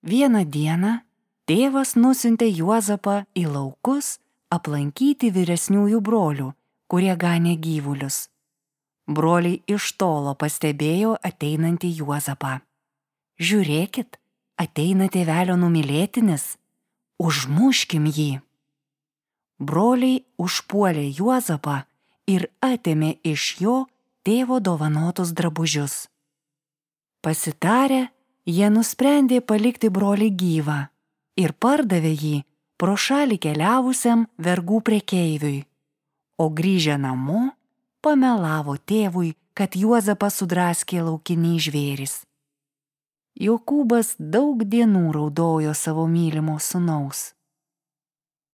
Vieną dieną tėvas nusiuntė Juozapą į laukus aplankyti vyresniųjų brolių, kurie ganė gyvulius. Broliai iš tolo pastebėjo ateinantį Juozapą. Žiūrėkit, ateina tėvelio numylėtinis, užmuškim jį. Broliai užpuolė Juozapą ir atėmė iš jo tėvo dovanotus drabužius. Pasitarę, jie nusprendė palikti brolį gyvą ir pardavė jį pro šalį keliavusiam vergų prekeiviui, o grįžę namo pamelavo tėvui, kad Juozapą sudraskė laukiniai žvėrys. Jokūbas daug dienų raudojo savo mylimo sūnaus.